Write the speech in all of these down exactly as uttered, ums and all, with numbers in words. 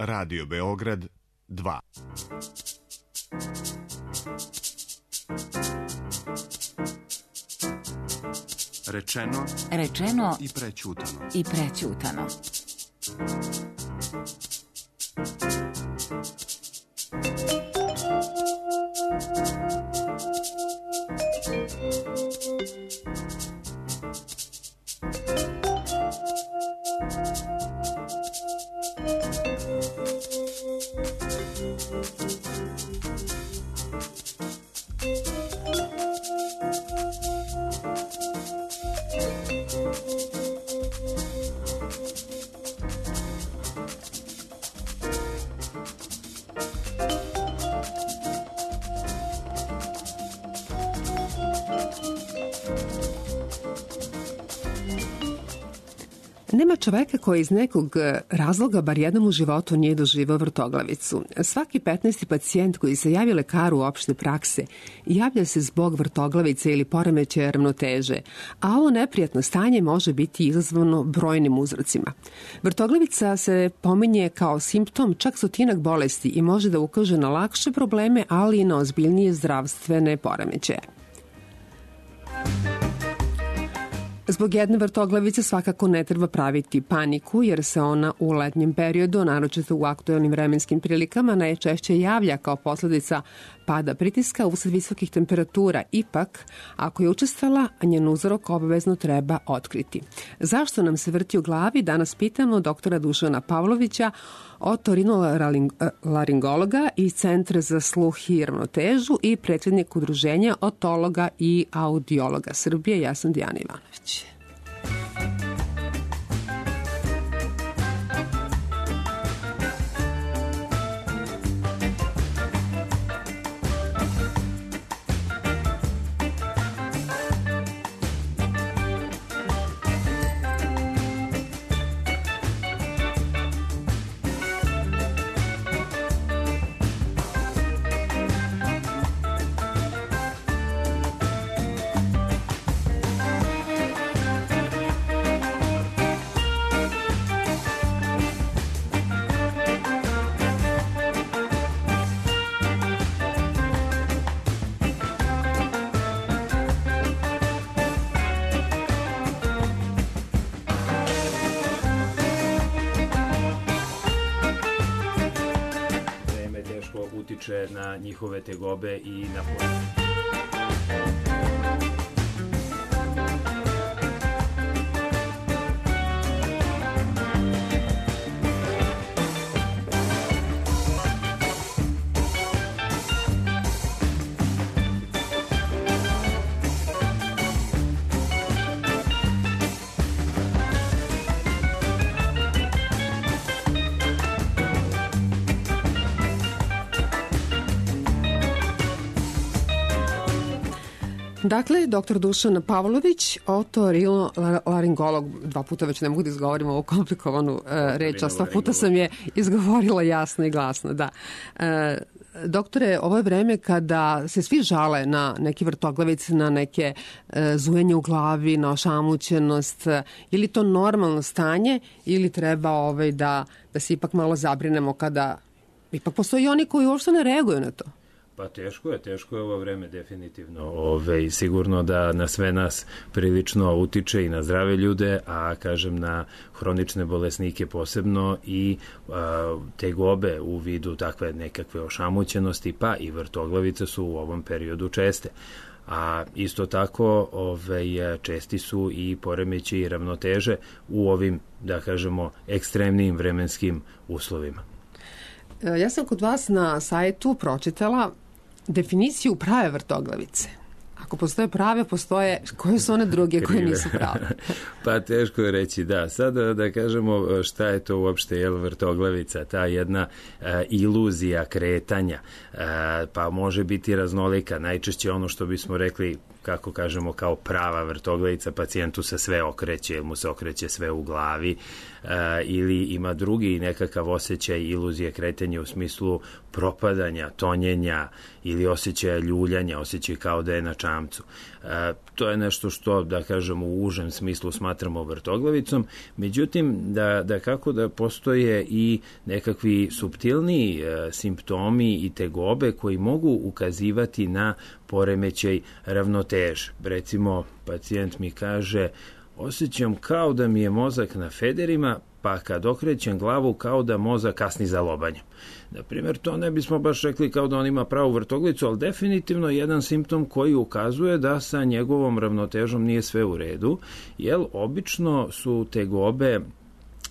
Radio Beograd dva. Rečeno, rečeno i prećutano. I prećutano. Nema čoveka koji iz nekog razloga bar jednom u životu nije doživao vrtoglavicu. Svaki petnaesti pacijent koji se javi lekaru opšte prakse javlja se zbog vrtoglavice ili poremećaja ravnoteže, a ovo neprijatno stanje može biti izazvano brojnim uzrocima. Vrtoglavica se pominje kao simptom čak stotinak bolesti i može da ukaže na lakše probleme, ali i na ozbiljnije zdravstvene poremećaje. Zbog jedne vrtoglavice svakako ne treba praviti paniku, jer se ona u letnjem periodu, naročito u aktuelnim vremenskim prilikama, najčešće javlja kao posledica pada pritiska usled visokih temperatura. Ipak, ako je učestala, njen uzrok obavezno treba otkriti. Zašto nam se vrti u glavi? Danas pitamo doktora Dušana Pavlovića, otorinolaringologa iz Centra za sluh i ravnotežu i predsjednik Udruženja otologa i audiologa Srbije. Ja sam Dijana Ivanović. utiče na njihove tegobe i na porast. Dakle, doktor Dušan Pavlović, otorinolaringolog, dva puta već ne mogu da izgovorim ovu komplikovanu uh, reč, a sto puta sam je izgovorila jasno i glasno, da. Uh, doktore, ovo je vreme kada se svi žale na neke vrtoglavice, na neke uh, zujenje u glavi, na ošamućenost. Je li to normalno stanje ili treba ovaj, da, da se ipak malo zabrinemo kada ipak postoji oni koji uopšte ne reaguju na to? Pa teško je, teško je ovo vreme definitivno. Ove, sigurno da na sve nas prilično utiče i na zdrave ljude, a kažem na hronične bolesnike posebno i a, tegobe u vidu takve nekakve ošamućenosti, pa i vrtoglavice su u ovom periodu česte. A isto tako ove, česti su i poremeći i ravnoteže u ovim, da kažemo, ekstremnim vremenskim uslovima. Ja sam kod vas na sajtu pročitala definiciju prave vrtoglavice. Ako postoje prave, postoje, koje su one druge koje nisu prave? Pa teško je reći, da. Sada da kažemo šta je to uopšte jel, vrtoglavica, ta jedna a, iluzija kretanja, a, pa može biti raznolika. Najčešće ono što bismo rekli kako kažemo, kao prava vrtoglavica, pacijentu se sve okreće, mu se okreće sve u glavi, ili ima drugi nekakav osjećaj iluzije kretanja u smislu propadanja, tonjenja ili osjećaja ljuljanja, osjećaj kao da je na čamcu. To je nešto što, da kažemo, u užem smislu smatramo vrtoglavicom. Međutim, da, da kako da postoje i nekakvi suptilniji simptomi i tegobe koji mogu ukazivati na poremećaj ravnoteže. Recimo, pacijent mi kaže: osjećam kao da mi je mozak na federima, pa kad okrećem glavu kao da mozak kasni za lobanjem. Na primjer, to ne bismo baš rekli kao da on ima pravu vrtoglicu, ali definitivno jedan simptom koji ukazuje da sa njegovom ravnotežom nije sve u redu, jer obično su tegobe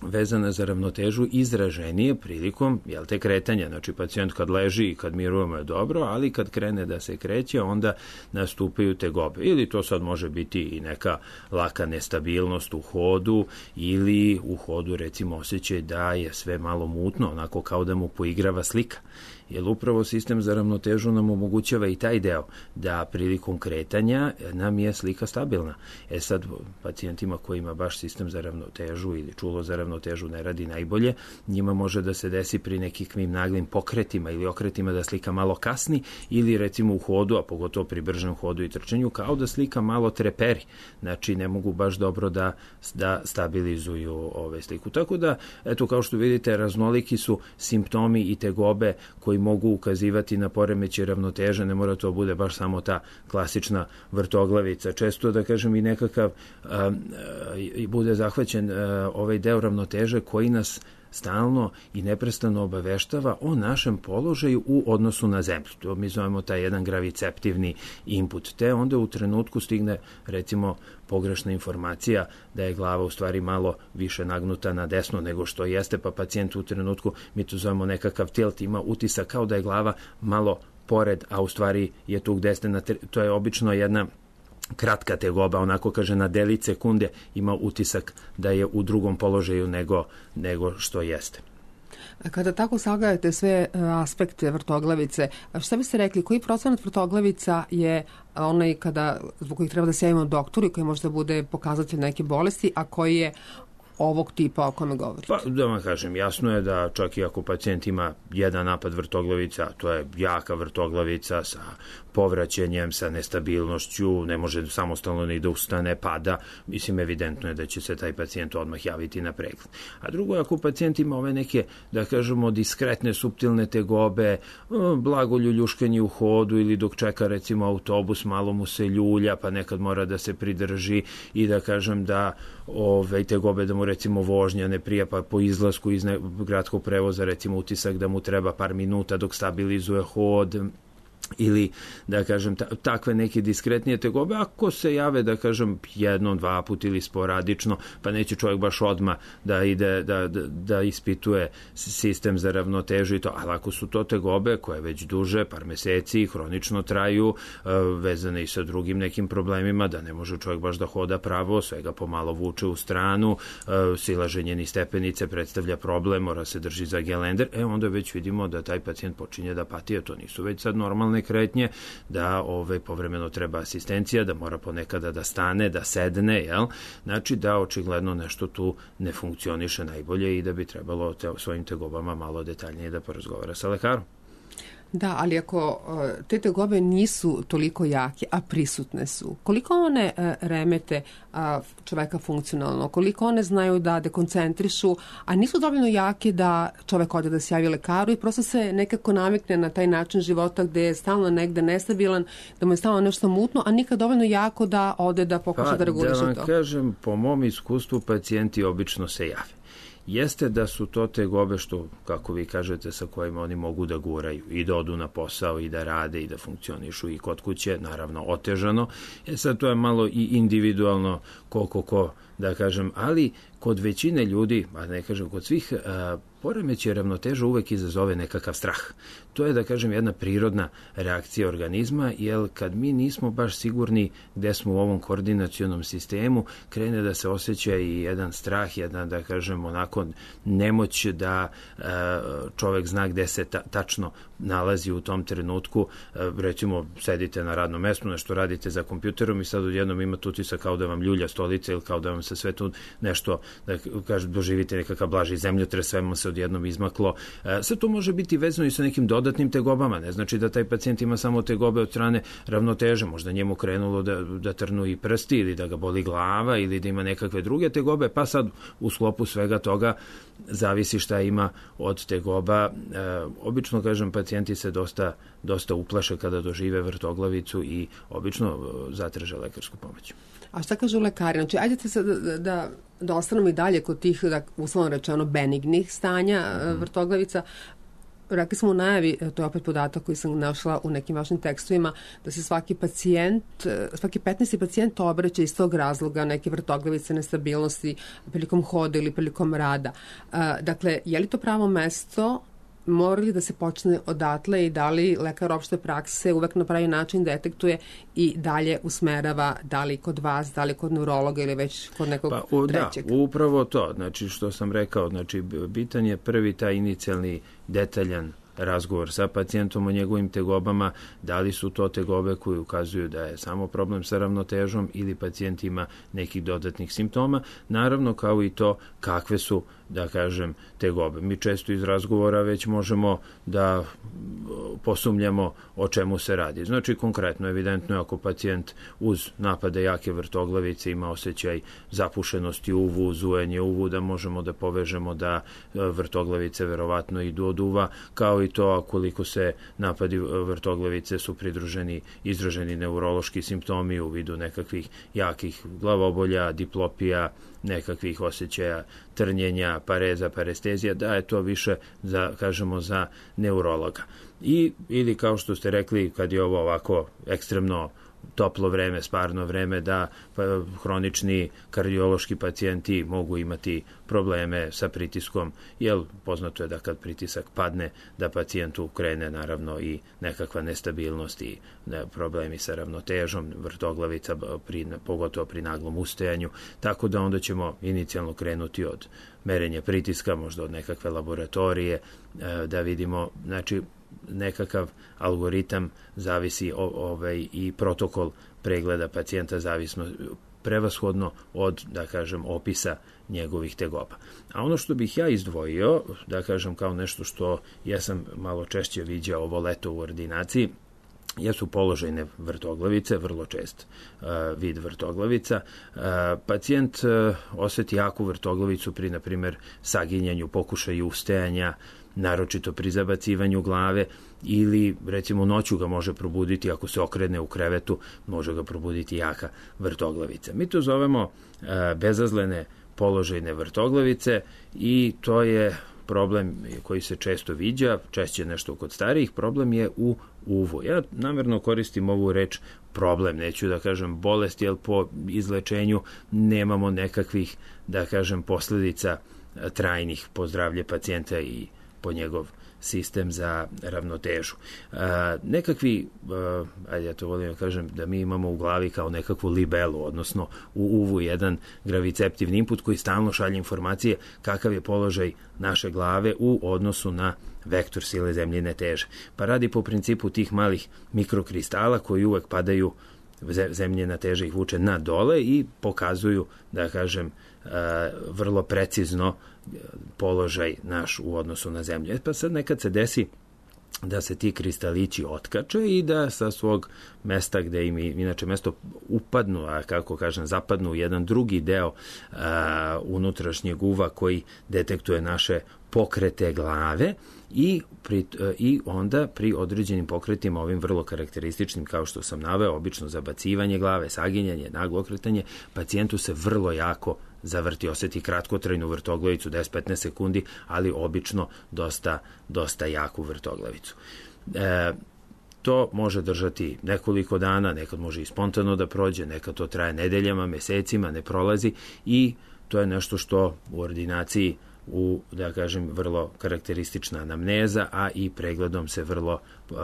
vezane za ravnotežu izraženije prilikom, jel te, kretanja. Znači, pacijent kad leži i kad mirujemo je dobro, ali kad krene da se kreće, onda nastupaju tegobe. Ili to sad može biti i neka laka nestabilnost u hodu, ili u hodu, recimo, osjećaj da je sve malo mutno, onako kao da mu poigrava slika. Jer upravo sistem za ravnotežu nam omogućava i taj deo, da prilikom kretanja nam je slika stabilna. E sad, pacijentima koji ima baš sistem za ravnotežu ili čulo za ravnotežu ne radi najbolje, njima može da se desi pri nekakvim naglim pokretima ili okretima da slika malo kasni, ili recimo u hodu, a pogotovo pri bržem hodu i trčanju, kao da slika malo treperi. Znači, ne mogu baš dobro da, da stabilizuju ove sliku. Tako da, eto, kao što vidite, raznoliki su simptomi i tegobe koji mogu ukazivati na poremećaj ravnoteže, ne mora to bude baš samo ta klasična vrtoglavica. Često, da kažem, i nekakav a, a, bude zahvaćen a, ovaj deo ravnoteže koji nas stalno i neprestano obaveštava o našem položaju u odnosu na zemlju. To mi zovemo taj jedan graviceptivni input. Te onda u trenutku stigne, recimo, pogrešna informacija da je glava u stvari malo više nagnuta na desno nego što jeste, pa pacijent u trenutku, mi to zovemo nekakav tilt, ima utisak kao da je glava malo pored, a u stvari je tu gde ste na... To je obično jedna kratka tegoba, onako kaže na delić sekunde ima utisak da je u drugom položaju nego, nego što jeste. Kada tako sagledate sve aspekte vrtoglavice, šta biste rekli, koji procenat vrtoglavica je onaj kada, zbog kojih treba da se javimo doktoru i koji možda bude pokazatelj neke bolesti, a koji je ovog tipa o kome govorite? Pa, da vam kažem, jasno je da čak i ako pacijent ima jedan napad vrtoglavica, to je jaka vrtoglavica sa povraćenjem, sa nestabilnošću, ne može samostalno ni da ustane, pada, mislim, evidentno je da će se taj pacijent odmah javiti na pregled. A drugo, ako pacijent ima ove neke, da kažemo, diskretne, suptilne tegobe, blago ljuljuškanje u hodu ili dok čeka, recimo, autobus, malo mu se ljulja, pa nekad mora da se pridrži i da kažem da ove tegobe da mu, recimo, vožnja ne prija, pa po izlasku iz gradskog prevoza, recimo, utisak da mu treba par minuta dok stabilizuje hod, ili, da kažem, takve neke diskretnije tegobe, ako se jave, da kažem, jednom, dva put ili sporadično, pa neće čovjek baš odmah da ide, da, da, da ispituje sistem za ravnotežu i to, ali ako su to tegobe koje već duže, par meseci, hronično traju, vezane i sa drugim nekim problemima, da ne može čovjek baš da hoda pravo, svega pomalo vuče u stranu, silaženje ni stepenice predstavlja problem, mora se drži za gelender, e onda već vidimo da taj pacijent počinje da pati, a to nisu već sad normalne kretnje, da ove, povremeno treba asistencija, da mora ponekada da stane, da sedne, jel? Znači da očigledno nešto tu ne funkcioniše najbolje i da bi trebalo te, svojim tegobama malo detaljnije da porazgovara sa lekarom. Da, ali ako te tegobe nisu toliko jake, a prisutne su, koliko one remete čoveka funkcionalno, koliko one znaju da dekoncentrišu, a nisu dovoljno jake da čovek ode da se javi lekaru i prosto se nekako navikne na taj način života gde je stalno negde nestabilan, da mu je stalno nešto mutno, a nikad dovoljno jako da ode da pokuša pa, da reguliše to. Da vam to. kažem, po mom iskustvu pacijenti obično se jave. Jeste da su to tegobe što, kako vi kažete, sa kojima oni mogu da guraju i da odu na posao i da rade i da funkcionišu i kod kuće, naravno otežano. E sad to je malo i individualno koliko ko, da kažem, ali kod većine ljudi, a ne kažem kod svih, poremećaj ravnoteže uvek izazove nekakav strah. To je, da kažem, jedna prirodna reakcija organizma, jer kad mi nismo baš sigurni gde smo u ovom koordinacionom sistemu, krene da se osjeća i jedan strah, jedna, da kažem, onako nemoć da e, čovek zna gde se ta, tačno nalazi u tom trenutku. E, recimo, sedite na radnom mestu, nešto radite za kompjuterom i sad odjednom imate utisak kao da vam ljulja stolica ili kao da vam se sve tu nešto, da kažem, doživite nekakav blaži zemljotres, sve vam se odjednom izmaklo. E, sad to može biti vezano i sa nekim dodatnim tegobama. Ne znači da taj pacijent ima samo tegobe od strane ravnoteže. Možda njemu krenulo da, da trnu i prsti ili da ga boli glava ili da ima nekakve druge tegobe, pa sad u sklopu svega toga zavisi šta ima od tegoba. E, obično, kažem, pacijenti se dosta, dosta uplaše kada dožive vrtoglavicu i obično zatraže lekarsku pomoć. A šta kažu lekari? Znači, ajde sad da, da, da ostanemo i dalje kod tih, da, uslovno rečeno, benignih stanja mm. vrtoglavica. Rekli smo u najavi, to je opet podatak koji sam našla u nekim vašim tekstovima, da se svaki pacijent, svaki petnaesti pacijent obraća iz tog razloga neke vrtoglavice, nestabilnosti prilikom hoda ili prilikom rada. Dakle, je li to pravo mesto? Mora li da se počne odatle i da li lekar opšte prakse uvek na pravi način detektuje i dalje usmerava, da li kod vas, da li kod neurologa ili već kod nekog pa, o, trećeg? Da, upravo to. Znači, što sam rekao, znači, bitan je prvi taj inicijalni detaljan razgovor sa pacijentom o njegovim tegobama, da li su to tegobe koji ukazuju da je samo problem sa ravnotežom ili pacijent ima nekih dodatnih simptoma, naravno kao i to kakve su, da kažem, tegobe. Mi često iz razgovora već možemo da posumnjamo o čemu se radi. Znači, konkretno, evidentno je ako pacijent uz napade jake vrtoglavice ima osjećaj zapušenosti uvu, zujenje uvu, da možemo da povežemo da vrtoglavice verovatno idu od uva, kao i to koliko se napadi vrtoglavice su pridruženi, izraženi neurološki simptomi u vidu nekakvih jakih glavobolja, diplopija, nekakvih osjećaja trnjenja, pareza, parestezija, da je to više za, kažemo, za neurologa. I, ili kao što ste rekli, kad je ovo ovako ekstremno toplo vreme, sparno vreme, da pa, hronični kardiološki pacijenti mogu imati probleme sa pritiskom, jer poznato je da kad pritisak padne, da pacijentu krene naravno i nekakva nestabilnost i ne, problemi sa ravnotežom, vrtoglavica, pri, pogotovo pri naglom ustajanju, tako da onda ćemo inicijalno krenuti od merenja pritiska, možda od nekakve laboratorije, da vidimo, znači, nekakav algoritam zavisi o, ovaj, i protokol pregleda pacijenta zavisno prevashodno od, da kažem, opisa njegovih tegoba. A ono što bih ja izdvojio, da kažem, kao nešto što ja sam malo češće viđao ovo leto u ordinaciji, jesu položajne vrtoglavice, vrlo čest uh, vid vrtoglavica. Uh, pacijent uh, osjeti jaku vrtoglavicu pri, na primjer, saginjanju, pokušaju ustajanja, naročito pri zabacivanju glave, ili recimo noću ga može probuditi ako se okrene u krevetu, može ga probuditi jaka vrtoglavica. Mi to zovemo uh, bezazlene položajne vrtoglavice i to je problem koji se često viđa, češće nešto kod starijih, problem je u uvu. Ja namjerno koristim ovu reč problem, neću da kažem bolest, jer po izlečenju nemamo nekakvih, da kažem, posledica trajnih po zdravlje pacijenta i po njegov sistem za ravnotežu. E, nekakvi, e, ajde ja to volim da kažem, da mi imamo u glavi kao nekakvu libelu, odnosno u uvu jedan graviceptivni input koji stalno šalje informacije kakav je položaj naše glave u odnosu na vektor sile zemljine teže. Pa radi po principu tih malih mikrokristala koji uvek padaju, zemljina teža ih vuče na dole i pokazuju, da kažem, vrlo precizno položaj naš u odnosu na zemlju. Pa sad nekad se desi da se ti kristalići otkače i da sa svog mesta gde im inače mesto upadnu, a kako kažem, zapadnu u jedan drugi deo a, unutrašnjeg uva koji detektuje naše pokrete glave i, pri, i onda pri određenim pokretima, ovim vrlo karakterističnim, kao što sam naveo, obično zabacivanje glave, saginjanje, naglo okretanje, pacijentu se vrlo jako zavrti, osjeti kratkotrajnu vrtoglavicu, deset do petnaest sekundi, ali obično dosta, dosta jaku vrtoglavicu. E, To može držati nekoliko dana, nekad može i spontano da prođe, nekad to traje nedeljama, mesecima, ne prolazi i to je nešto što u ordinaciji u, da kažem, vrlo karakteristična anamneza, a i pregledom se vrlo uh,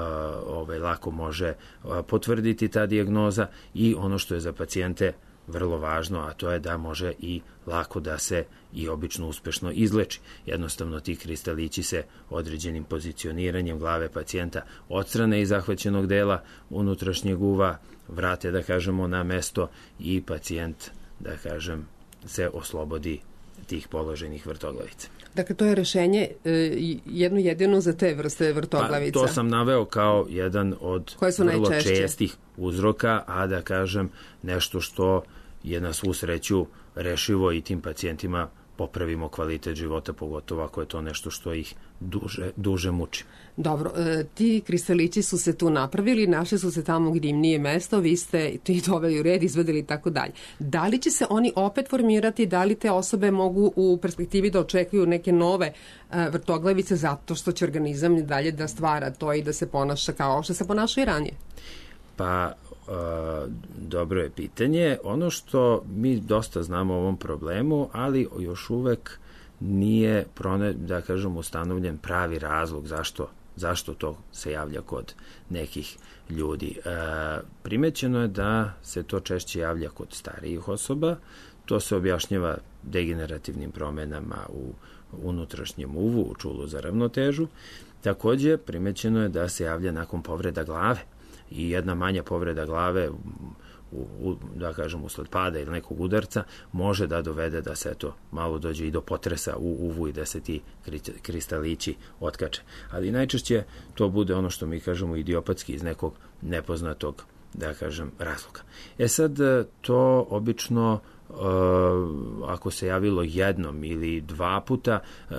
ovaj, lako može uh, potvrditi ta dijagnoza i ono što je za pacijente vrlo važno, a to je da može i lako da se i obično uspešno izleči. Jednostavno ti kristalići se određenim pozicioniranjem glave pacijenta odstrane iz zahvaćenog dela unutrašnjeg uva, vrate, da kažemo, na mesto i pacijent, da kažem, se oslobodi tih položenih vrtoglavica. Dakle, to je rešenje e, jedno jedino za te vrste vrtoglavica. Pa, to sam naveo kao jedan od vrlo najčešće? čestih uzroka, a da kažem nešto što je na svu sreću rešivo i tim pacijentima popravimo kvalitet života, pogotovo ako je to nešto što ih duže, duže muči. Dobro, e, ti kristalići su se tu napravili, našli su se tamo gdje im nije mesto, vi ste ti doveli u red, izvedeli i tako dalje. Da li će se oni opet formirati, da li te osobe mogu u perspektivi da očekuju neke nove e, vrtoglavice zato što će organizam i dalje da stvara to i da se ponaša kao što se ponaša i ranije? Pa, Uh, dobro je pitanje. Ono što mi dosta znamo o ovom problemu, ali još uvek nije, prone, da kažem, ustanovljen pravi razlog zašto, zašto to se javlja kod nekih ljudi. Uh, primećeno je da se to češće javlja kod starijih osoba. To se objašnjava degenerativnim promenama u unutrašnjem uvu, u čulu za ravnotežu. Takođe, primećeno je da se javlja nakon povreda glave. I jedna manja povreda glave, u, u, da kažem, usled pada ili nekog udarca, može da dovede da se to malo dođe i do potresa u uvu i da se ti kristalići otkače. Ali najčešće to bude ono što mi kažemo idiopatski iz nekog nepoznatog, da kažem, razloga. E sad, to obično Uh, ako se javilo jednom ili dva puta, uh,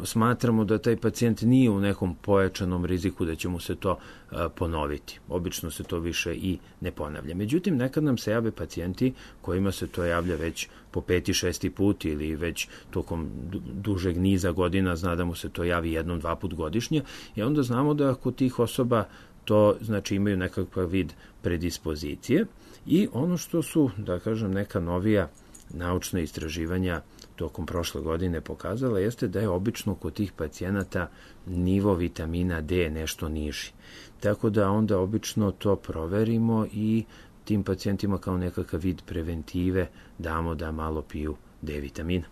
smatramo da taj pacijent nije u nekom pojačanom riziku da će mu se to uh, ponoviti. Obično se to više i ne ponavlja. Međutim, nekad nam se jave pacijenti kojima se to javlja već po peti, šesti put ili već tokom dužeg niza godina, zna da mu se to javi jednom, dva put godišnje i onda znamo da kod tih osoba to znači imaju nekakav vid predispozicije i ono što su, da kažem, neka novija naučna istraživanja tokom prošle godine pokazala jeste da je obično kod tih pacijenata nivo vitamina D nešto niži. Tako da onda obično to proverimo i tim pacijentima kao nekakav vid preventive damo da malo piju D vitamina.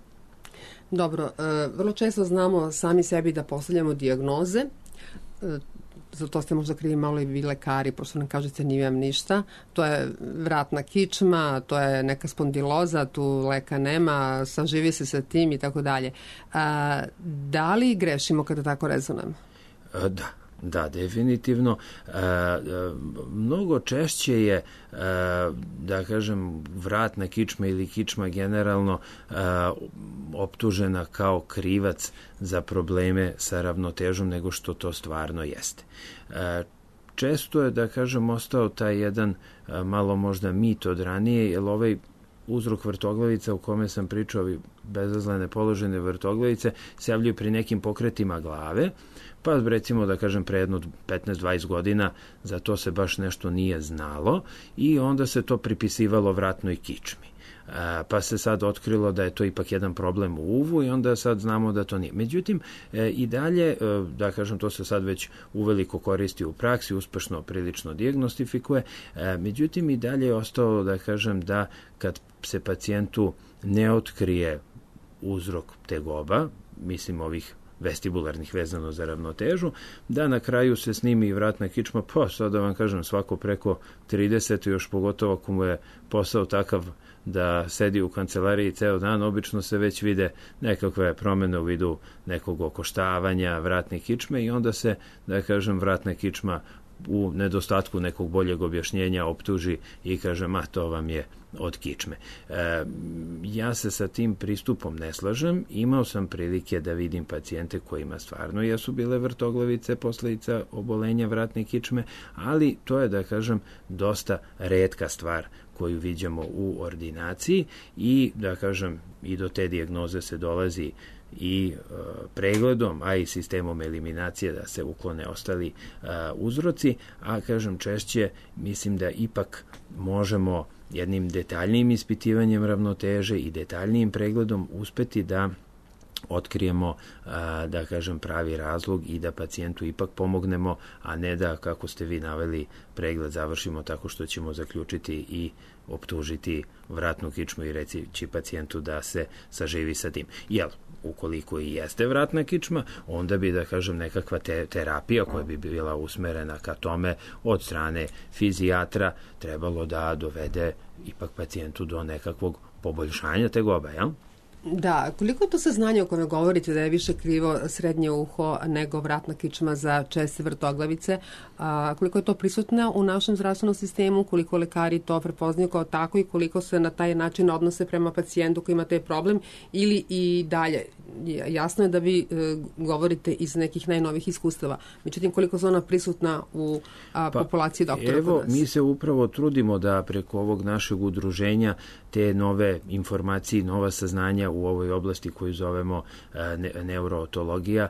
Dobro, vrlo često znamo sami sebi da postavljamo dijagnoze, za to ste možda krivi malo i vi lekari, pošto nam kažete nimam ništa. To je vratna kičma, to je neka spondiloza, tu leka nema, saživi se sa tim i tako dalje. Da li grešimo kada tako rezonujemo? Da. Da, definitivno. E, mnogo češće je, e, da kažem, vratna kičma ili kičma generalno e, optužena kao krivac za probleme sa ravnotežom nego što to stvarno jeste. E, često je, da kažem, ostao taj jedan e, malo možda mit od ranije, jer ovaj uzrok vrtoglavica u kome sam pričao, bezazlene položene vrtoglavice, se javljaju pri nekim pokretima glave, pa recimo da kažem pre jedno petnaest dvadeset godina za to se baš nešto nije znalo i onda se to pripisivalo vratnoj kičmi. E, pa se sad otkrilo da je to ipak jedan problem u uvu i onda sad znamo da to nije. Međutim, e, i dalje, e, da kažem, to se sad već uveliko koristi u praksi, uspešno prilično dijagnostifikuje, e, međutim i dalje je ostalo, da kažem, da kad se pacijentu ne otkrije uzrok tegoba, mislim ovih vestibularnih vezano za ravnotežu, da na kraju se snimi i vratna kičma, pa sad da vam kažem svako preko trideset, još pogotovo ako mu je posao takav da sedi u kancelariji ceo dan, obično se već vide nekakve promene u vidu nekog okoštavanja vratne kičme i onda se, da kažem, vratna kičma u nedostatku nekog boljeg objašnjenja optuži i kaže, ma to vam je od kičme. E, ja se sa tim pristupom ne slažem. Imao sam prilike da vidim pacijente kojima stvarno jesu bile vrtoglavice posledica obolenja vratne kičme, ali to je, da kažem, dosta retka stvar koju viđamo u ordinaciji i, da kažem, i do te dijagnoze se dolazi i pregledom, a i sistemom eliminacije da se uklone ostali uzroci, a kažem češće mislim da ipak možemo jednim detaljnijim ispitivanjem ravnoteže i detaljnijim pregledom uspeti da otkrijemo, da kažem, pravi razlog i da pacijentu ipak pomognemo, a ne da, kako ste vi naveli, pregled završimo tako što ćemo zaključiti i optužiti vratnu kičmu i reći pacijentu da se saživi sa tim. Jel, ukoliko i jeste vratna kičma, onda bi, da kažem, nekakva te, terapija koja bi bila usmerena ka tome od strane fizijatra trebalo da dovede ipak pacijentu do nekakvog poboljšanja tegoba, jel? Da, koliko je to saznanje o kome govorite da je više krivo srednje uho nego vratna kičma za česte vrtoglavice, a, koliko je to prisutno u našem zdravstvenom sistemu, koliko lekari to prepoznaju kao tako i koliko se na taj način odnose prema pacijentu koji ima taj problem ili i dalje? Jasno je da vi e, govorite iz nekih najnovih iskustava, međutim koliko su ona prisutna u a, pa, populaciji doktora? Evo, mi se upravo trudimo da preko ovog našeg udruženja te nove informacije, nova saznanja u ovoj oblasti koju zovemo ne, neurootologija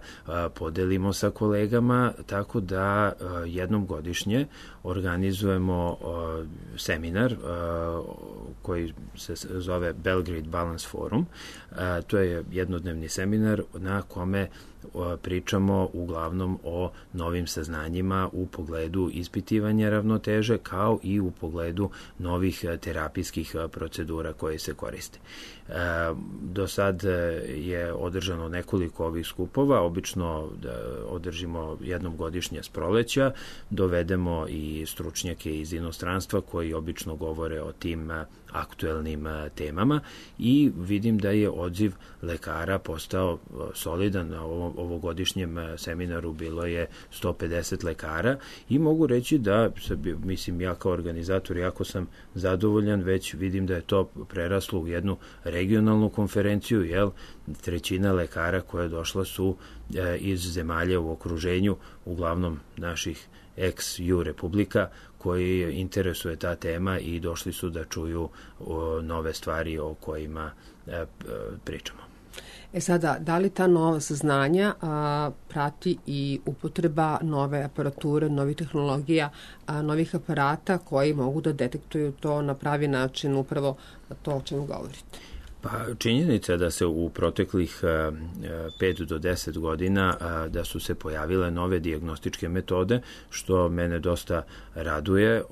podelimo sa kolegama, tako da jednom godišnje organizujemo seminar koji se zove Belgrade Balance Forum. To je jednodnevni seminar na kome pričamo uglavnom o novim saznanjima u pogledu ispitivanja ravnoteže kao i u pogledu novih terapijskih procedura koje se koriste. Do sad je održano nekoliko ovih skupova, obično održimo jednom godišnje s proleća, dovedemo i stručnjake iz inostranstva koji obično govore o tim aktuelnim temama i vidim da je odziv lekara postao solidan. Na ovom ovogodišnjem seminaru bilo je sto pedeset lekara i mogu reći da, mislim, ja kao organizator jako sam zadovoljan, već vidim da je to preraslo u jednu regionalnu konferenciju, jel, trećina lekara koja je došla su e, iz zemalja u okruženju, uglavnom naših ex-ju republika, koji interesuje ta tema i došli su da čuju o, nove stvari o kojima e, pričamo. E sada, da li ta nova saznanja a, prati i upotreba nove aparature, novih tehnologija, a, novih aparata koji mogu da detektuju to na pravi način, upravo to o čemu govorite? Pa činjenica da se u proteklih pet do deset godina da su se pojavile nove dijagnostičke metode, što mene dosta raduje,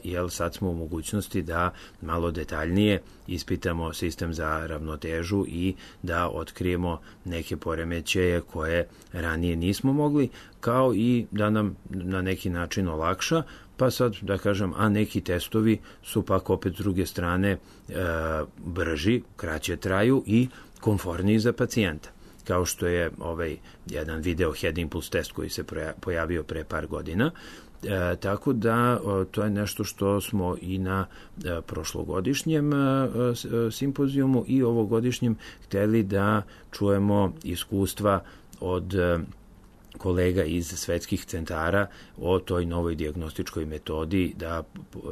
jer sad smo u mogućnosti da malo detaljnije ispitamo sistem za ravnotežu i da otkrijemo neke poremećaje koje ranije nismo mogli, kao i da nam na neki način olakša. Pa sad, da kažem, a neki testovi su pak opet s druge strane e, brži, kraće traju i komforniji za pacijenta. Kao što je ovaj jedan video head impulse test koji se pojavio pre par godina. E, tako da o, to je nešto što smo i na e, prošlogodišnjem e, simpozijumu i ovogodišnjem hteli da čujemo iskustva od e, kolega iz svetskih centara o toj novoj dijagnostičkoj metodi da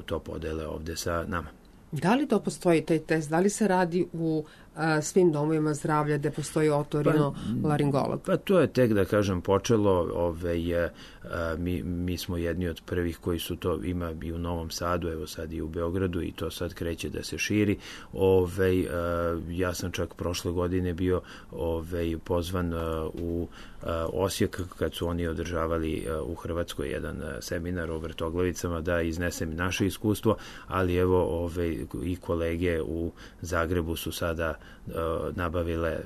to podele ovde sa nama. Da li to postoji, taj test? Da li se radi u a, svim domovima zdravlja gde postoji otorinolaringolog? Pa, pa to je tek, da kažem, počelo. Ove, a, mi, mi smo jedni od prvih koji su to, ima i u Novom Sadu, evo sad i u Beogradu, i to sad kreće da se širi. Ove, a, ja sam čak prošle godine bio ove, pozvan a, u a, Osijek kad su oni održavali a, u Hrvatskoj jedan a, seminar o vrtoglavicama, da iznesem naše iskustvo, ali evo ove, i kolege u Zagrebu su sada uh, nabavile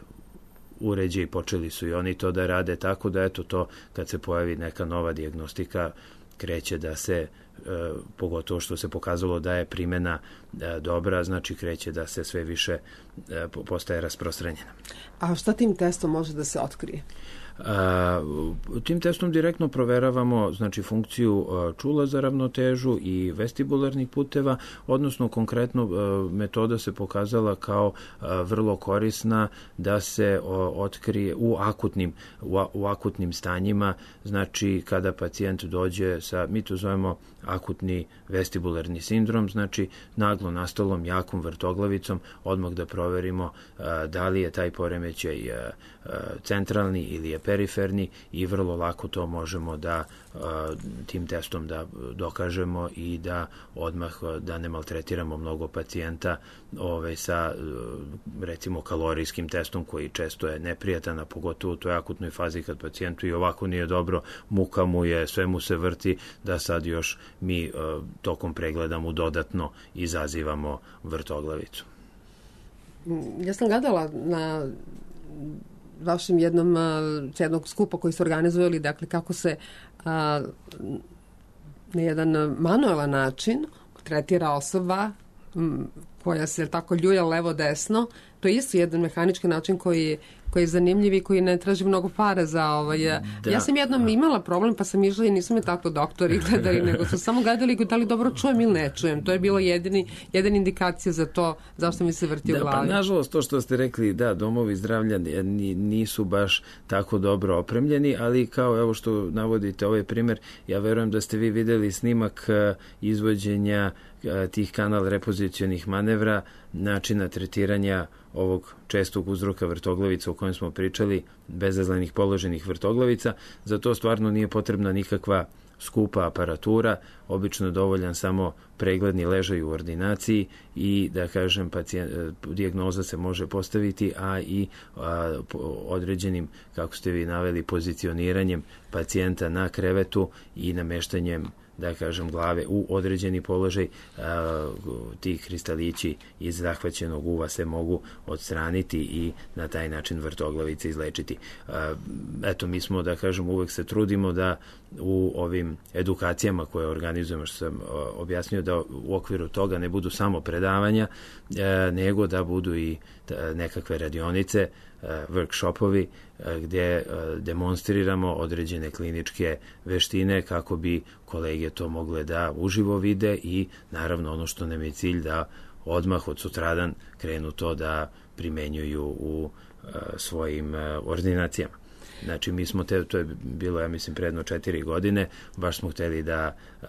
uređaj i počeli su i oni to da rade, tako da eto to kad se pojavi neka nova dijagnostika kreće da se, uh, pogotovo što se pokazalo da je primena uh, dobra, znači kreće da se sve više uh, postaje rasprostranjena. A šta tim testom može da se otkrije? Tim testom direktno proveravamo znači funkciju čula za ravnotežu i vestibularnih puteva, odnosno konkretno metoda se pokazala kao vrlo korisna da se otkrije u akutnim, u akutnim stanjima, znači kada pacijent dođe sa, mi to zovemo akutni vestibularni sindrom, znači naglo nastalom jakom vrtoglavicom, odmah da proverimo da li je taj poremećaj centralni ili je periferni i vrlo lako to možemo da tim testom da dokažemo i da odmah da ne maltretiramo mnogo pacijenta ove, sa recimo kalorijskim testom koji često je neprijatan, a pogotovo u toj akutnoj fazi kad pacijentu i ovako nije dobro, muka mu je, sve mu se vrti, da sad još mi tokom pregleda mu dodatno izazivamo vrtoglavicu. Ja sam gledala na vašem jednom jednog skupa koji ste organizovali, dakle kako se a, na jedan manuelan način tretira osoba m, koja se tako ljulja levo-desno. To je isto jedan mehanički način koji, koji je zanimljiv i koji ne traži mnogo para za ovaj. Da. Ja sam jednom imala problem pa sam išla i nisam me tako doktori gledali, nego su samo gledali da li dobro čujem ili ne čujem. To je bilo jedini, jedan indikacija za to zašto mi se vrti da, u glavi. Pa nažalost to što ste rekli, da, domovi zdravlja nisu baš tako dobro opremljeni, ali kao evo što navodite ovaj primer, ja verujem da ste vi videli snimak izvođenja tih kanal repozicionih manevra, načina tretiranja ovog čestog uzroka vrtoglavica o kojem smo pričali, bezazlenih položenih vrtoglavica. Za to stvarno nije potrebna nikakva skupa aparatura, obično je dovoljan samo pregledni ležaj u ordinaciji i da kažem pacijent, dijagnoza se može postaviti, a i a, određenim, kako ste vi naveli, pozicioniranjem pacijenta na krevetu i nameštanjem da kažem glave u određeni položaj, a, ti kristalići iz zahvaćenog uva se mogu odstraniti i na taj način vrtoglavice izlečiti. A, eto, mi smo, da kažem, uvek se trudimo da u ovim edukacijama koje organizujemo, što sam objasnio, da u okviru toga ne budu samo predavanja, a, nego da budu i ta, nekakve radionice, workshopovi gdje demonstriramo određene kliničke veštine kako bi kolege to mogle da uživo vide i naravno ono što nam je cilj da odmah od sutradan krenu to da primenjuju u svojim ordinacijama. Znači mi smo, te, to je bilo ja mislim predno četiri godine, baš smo hteli da a,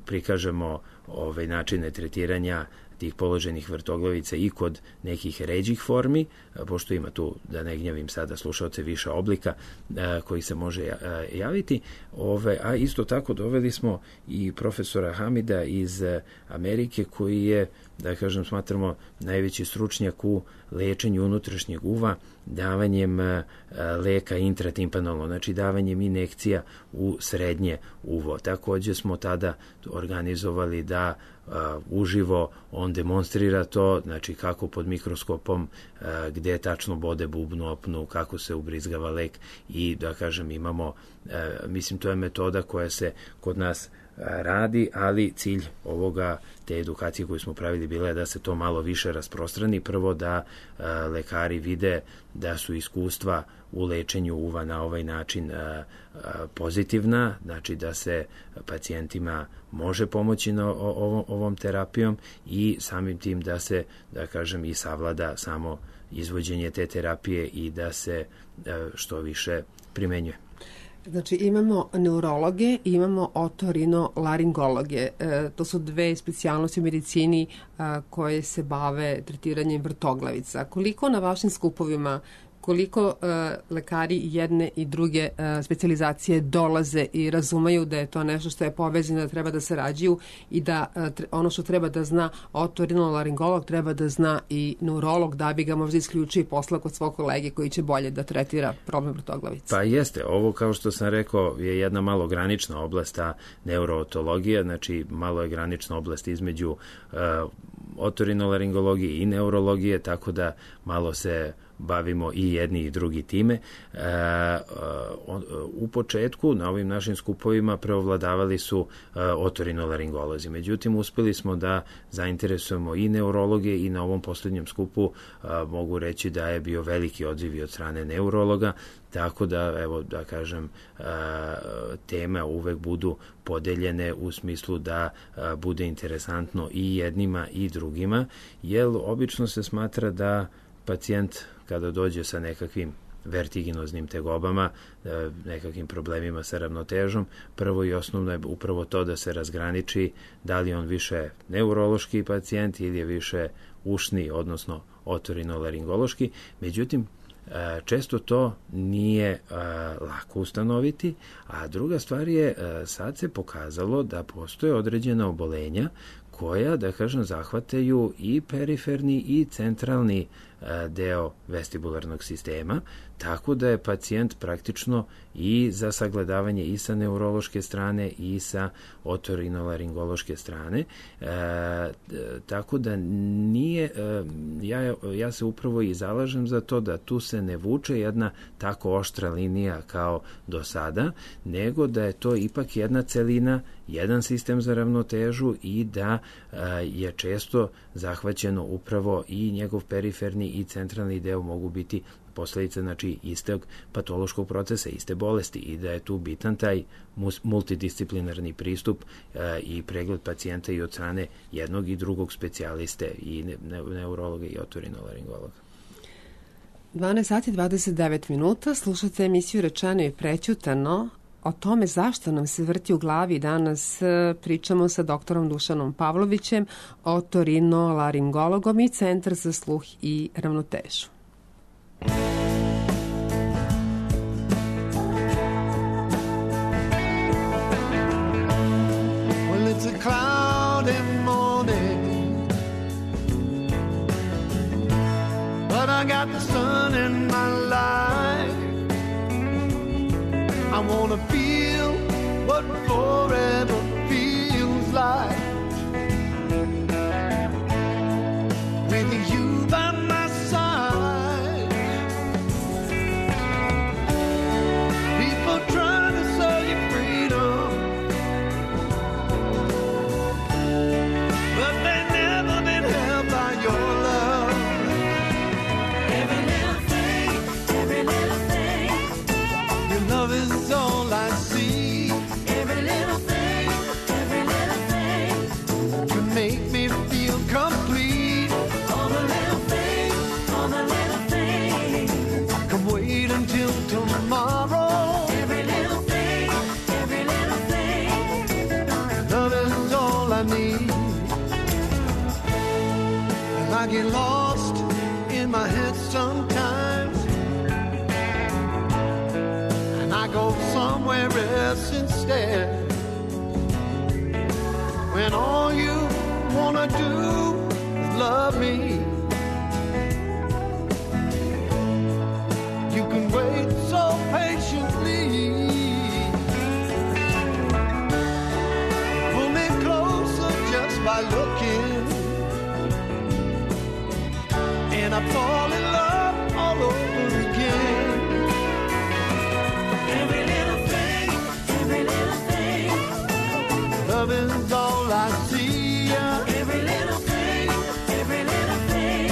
prikažemo ovaj načine tretiranja tih položenih vrtoglavica i kod nekih ređih formi, pošto ima tu, da ne gnjavim sada slušaoce, više oblika a, koji se može a, javiti. Ove, a isto tako doveli smo i profesora Hamida iz a, Amerike koji je, da kažem, smatramo najveći stručnjak u lečenju unutrašnjeg uva davanjem a, leka intratimpanalno, znači davanjem injekcija u srednje uvo. Takođe smo tada organizovali da a, uživo on demonstrira to, znači kako pod mikroskopom, a, gde tačno bode bubnu opnu, kako se ubrizgava lek i da kažem imamo, a, mislim to je metoda koja se kod nas radi, ali cilj ovoga, te edukacije koju smo pravili bila je da se to malo više rasprostrani. Prvo da a, lekari vide da su iskustva u lečenju uva na ovaj način a, a, pozitivna, znači da se pacijentima može pomoći na ovom, ovom terapijom i samim tim da se, da kažem, i savlada samo izvođenje te terapije i da se a, što više primenjuje. Znači imamo neurologe i imamo otorinolaringologe. E, to su dve specijalnosti u medicini a, koje se bave tretiranjem vrtoglavica. Koliko na vašim skupovima, koliko uh, lekari jedne i druge uh, specijalizacije dolaze i razumeju da je to nešto što je povezano, da treba da sarađuju i da uh, tre, ono što treba da zna otorinolaringolog treba da zna i neurolog, da bi ga možda isključio i poslao kod svog kolege koji će bolje da tretira problem vrtoglavice. Pa jeste, ovo kao što sam rekao je jedna malo granična oblast, ta neurootologija, znači malo je granična oblast između uh, otorinolaringologije i neurologije, tako da malo se bavimo i jedni i drugi time. U početku na ovim našim skupovima preovladavali su otorinolaringolozi. Međutim, uspeli smo da zainteresujemo i neurologe i na ovom poslednjem skupu mogu reći da je bio veliki odziv od strane neurologa, tako da, evo, da kažem, teme uvek budu podeljene u smislu da bude interesantno i jednima i drugima, jer obično se smatra da pacijent kada dođe sa nekakvim vertiginoznim tegobama, nekakvim problemima sa ravnotežom, prvo i osnovno je upravo to da se razgraniči da li on više neurološki pacijent ili je više ušni, odnosno otorinolaringološki. Međutim, često to nije lako ustanoviti, a druga stvar je, sad se pokazalo da postoje određena obolenja koja, da kažem, zahvataju i periferni i centralni deo vestibularnog sistema, tako da je pacijent praktično i za sagledavanje i sa neurološke strane i sa otorinolaringološke strane. E, tako da nije, e, ja, ja se upravo i zalažem za to da tu se ne vuče jedna tako oštra linija kao do sada, nego da je to ipak jedna celina, jedan sistem za ravnotežu i da e, je često zahvaćeno upravo i njegov periferni i centralni deo mogu biti posledica, znači, istog patološkog procesa, iste bolesti, i da je tu bitan taj multidisciplinarni pristup e, i pregled pacijenta i od strane jednog i drugog specijaliste i ne, ne, neurologa i otorinolaringologa. dvanaest sati dvadeset devet minuta, slušate emisiju Rečeno i prećutano. O tome zašto nam se vrti u glavi danas pričamo sa doktorom Dušanom Pavlovićem, otorinolaringologom i Centar za sluh i ravnotežu. Well, it's a cloudy morning, but I got the sun in my life. I wanna feel what forever feels like, with you by my side. People trying to sell you freedom, but they never been held by your love. Every little thing, every little thing, your love is all I see. Every little thing, every little thing, you make me feel complete. All the little things, all the little things, come wait until tomorrow. Every little thing, every little thing, love is all I need. And I get lost in my head sometimes, and I go somewhere else instead, when all you wanna do is love me. You can wait so patiently, pull me closer just by looking, and I fall in love all over again. Every little thing, every little thing, love is all I see. Every little thing, every little thing,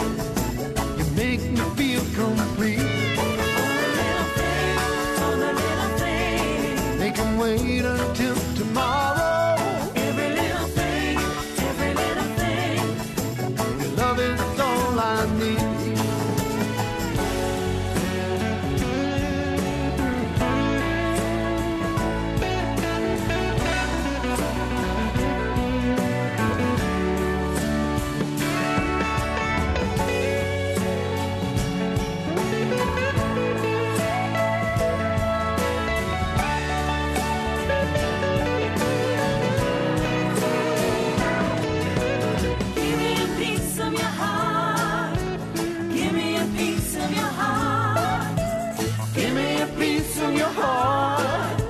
you make me feel complete. All the little things, all the little things, they can wait until tomorrow. Every little thing, every little thing, your love is all I need. Give me a piece of your heart. Give me a piece of your heart. Give me a piece of your heart,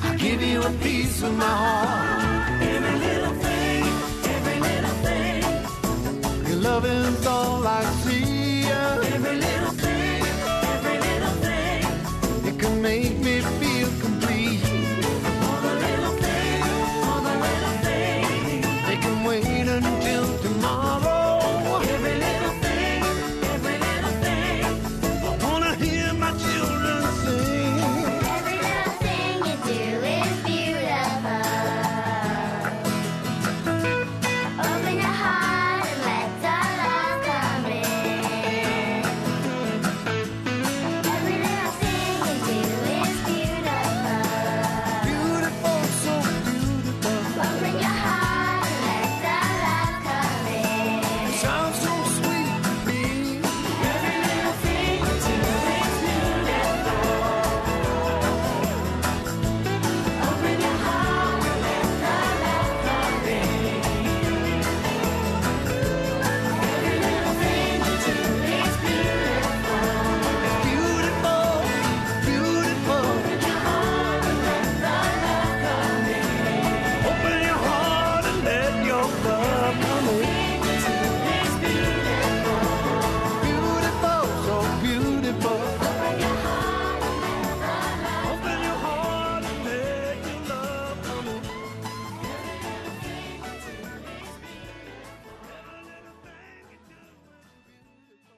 I'll give you a piece of my heart. Every little thing, every little thing, Your love is all I see. every little thing,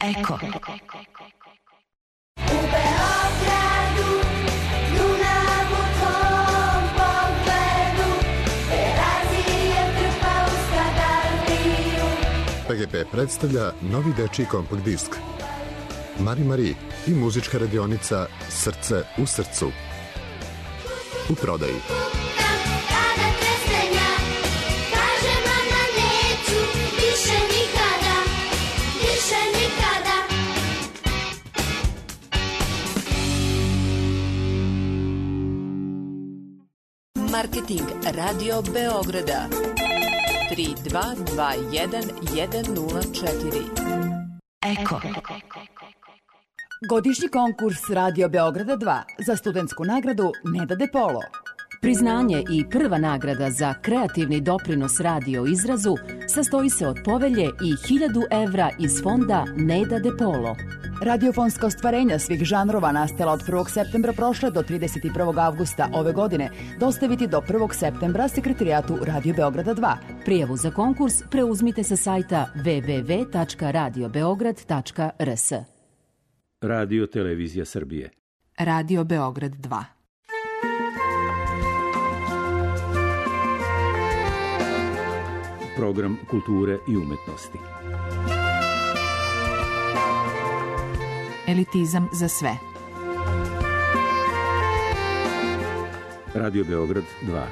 Eko. U Beogradu, Dunav u tvom pogledu, Terazije trpa u Skadarliju. P G P predstavlja novi dečiji kompakt disk Mari Mari i muzička radionica Srce u srcu. U prodaji. Kada tresnenja, kaže mama neću, više nikada, više nikada. Marketing Radio Beograda tri dva dva jedan jedan nula četiri. Eko. Godišnji konkurs Radio Beograda dva za studentsku nagradu Neda De Polo. Priznanje i prva nagrada za kreativni doprinos radio izrazu sastoji se od povelje i hiljadu evra iz fonda Neda De Polo. Radiofonska ostvarenja svih žanrova nastala od prvog septembra prošle do trideset prvog avgusta ove godine dostaviti do prvog septembra sekretarijatu Radio Beograda dva. Prijavu za konkurs preuzmite sa sajta w w w tačka radio beograd tačka r s. Radio Televizija Srbije. Radio Beograd dva. Program kulture i umetnosti. Elitizam za sve. Radio Beograd dva.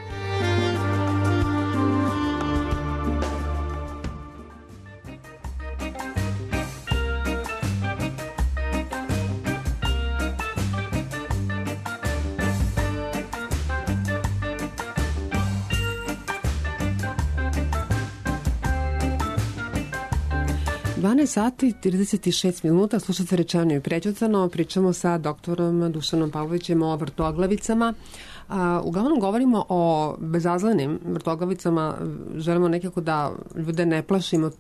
dvanaest sati trideset šest minuta, slušate Rečeno i prećutano, pričamo sa doktorom Dušanom Pavlovićem o vrtoglavicama. A, uglavnom govorimo o bezazlenim vrtoglavicama, želimo nekako da ljude ne plašimo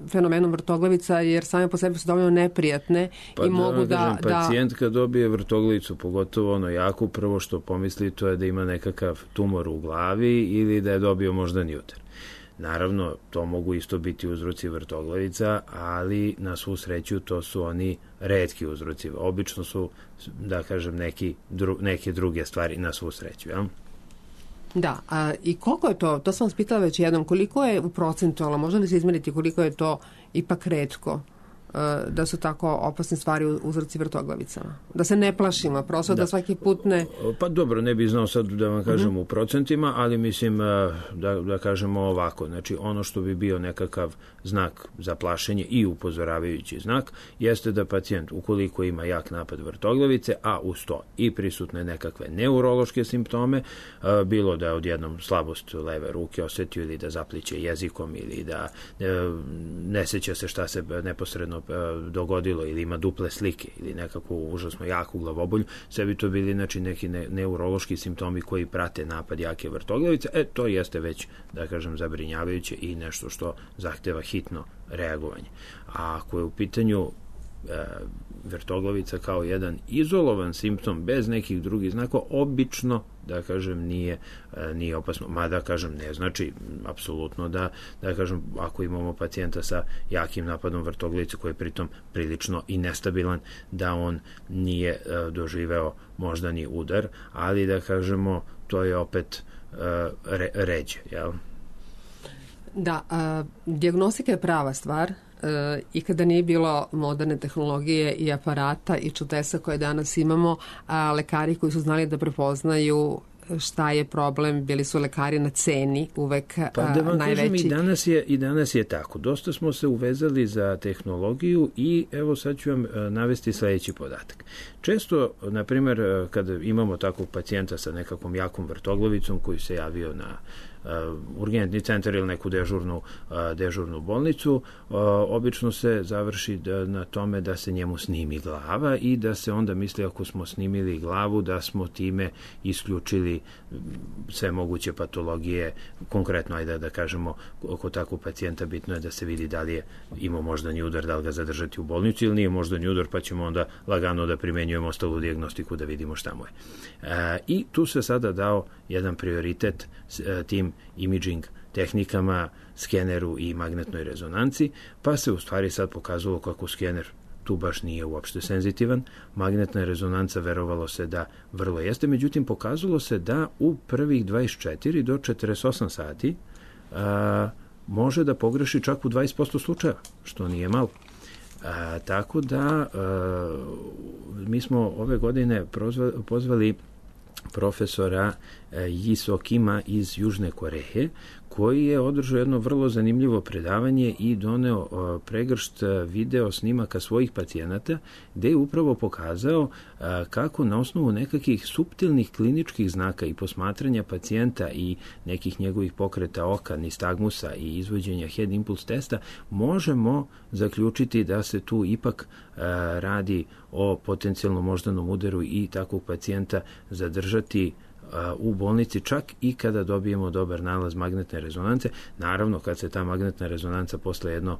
fenomenom vrtoglavica, jer same po sebi su dovoljno neprijatne pa i da, mogu da... da pacijent kad dobije vrtoglavicu, pogotovo ono jako, prvo što pomisli to je da ima nekakav tumor u glavi ili da je dobio moždani udar. Naravno, to mogu isto biti uzroci vrtoglavica, ali na svu sreću to su oni retki uzroci. Obično su, da kažem, neki, dru, neke druge stvari na svu sreću. Ja? Da, a, i koliko je to, to sam vas pitala već jednom, koliko je u procentualno, može li se izmeriti koliko je to ipak retko da su tako opasne stvari uzroci vrtoglavicama? Da se ne plašimo, prosto da, da svaki put ne... Pa dobro, ne bih znao sad da vam kažem uh-huh. u procentima, ali mislim da, da kažemo ovako. Znači, ono što bi bio nekakav znak za plašenje i upozoravajući znak jeste da pacijent, ukoliko ima jak napad vrtoglavice, a uz to i prisutne nekakve neurološke simptome, bilo da je odjednom slabost leve ruke osetio ili da zapliće jezikom ili da ne seća se šta se neposredno dogodilo ili ima duple slike ili nekakvu užasno jaku glavobolju, sve bi to bili znači, neki ne, neurološki simptomi koji prate napad jake vrtoglavice, e to jeste već, da kažem, zabrinjavajuće i nešto što zahteva hitno reagovanje. A ako je u pitanju e, vrtoglavica kao jedan izolovan simptom bez nekih drugih znakova, obično, da kažem, nije, nije opasno. Mada, kažem, ne znači apsolutno da, da kažem, ako imamo pacijenta sa jakim napadom vrtoglavice koji je pritom prilično i nestabilan, da on nije doživeo moždani udar, ali da kažemo, to je opet re, ređe, jel? Da, a, dijagnostika je prava stvar. E, i kada nije bilo moderne tehnologije i aparata i čudesa koje danas imamo, a lekari koji su znali da prepoznaju šta je problem, bili su lekari na ceni uvek pa da vam najveći. Kažem, i danas je i danas je tako. Dosta smo se uvezali za tehnologiju i evo sad ću vam navesti sledeći podatak. Često, na primjer, kada imamo takvog pacijenta sa nekakvom jakom vrtoglavicom koji se javio na Uh, urgentni centar ili neku dežurnu, uh, dežurnu bolnicu, uh, obično se završi da, na tome da se njemu snimi glava i da se onda misli ako smo snimili glavu da smo time isključili sve moguće patologije. Konkretno, ajde da kažemo, kod takvog pacijenta bitno je da se vidi da li je imao moždani udar, da li ga zadržati u bolnici ili nije moždani udar, pa ćemo onda lagano da primenjujemo ostalu dijagnostiku da vidimo šta mu je. Uh, I tu se sada dao jedan prioritet uh, tim imaging tehnikama, skeneru i magnetnoj rezonanci, pa se u stvari sad pokazalo kako skener tu baš nije uopšte senzitivan. Magnetna rezonanca verovalo se da vrlo jeste, međutim pokazalo se da u prvih dvadeset četiri do četrdeset osam sati a, može da pogreši čak u dvadeset posto slučajeva, što nije malo. A, tako da a, mi smo ove godine prozvali, pozvali profesora Jiso Kima iz Južne Koreje, koji je održao jedno vrlo zanimljivo predavanje i doneo pregršt video snimaka svojih pacijenata, gde je upravo pokazao kako na osnovu nekakvih suptilnih kliničkih znaka i posmatranja pacijenta i nekih njegovih pokreta oka, nistagmusa i izvođenja head impulse testa možemo zaključiti da se tu ipak radi o potencijalnom moždanom udaru i takvog pacijenta zadržati u bolnici čak i kada dobijemo dobar nalaz magnetne rezonance. Naravno, kad se ta magnetna rezonanca posle jedno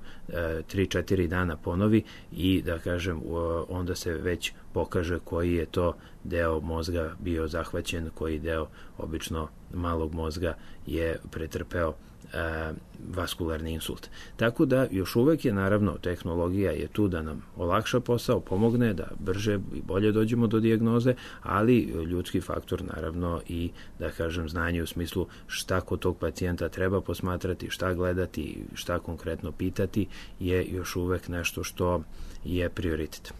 tri četiri dana ponovi i da kažem onda se već pokaže koji je to deo mozga bio zahvaćen, koji deo obično malog mozga je pretrpeo E, vaskularni insult. Tako da još uvek je naravno tehnologija je tu da nam olakša posao, pomogne da brže i bolje dođemo do dijagnoze, ali ljudski faktor naravno i da kažem znanje u smislu šta kod tog pacijenta treba posmatrati, šta gledati, šta konkretno pitati je još uvek nešto što je prioritet.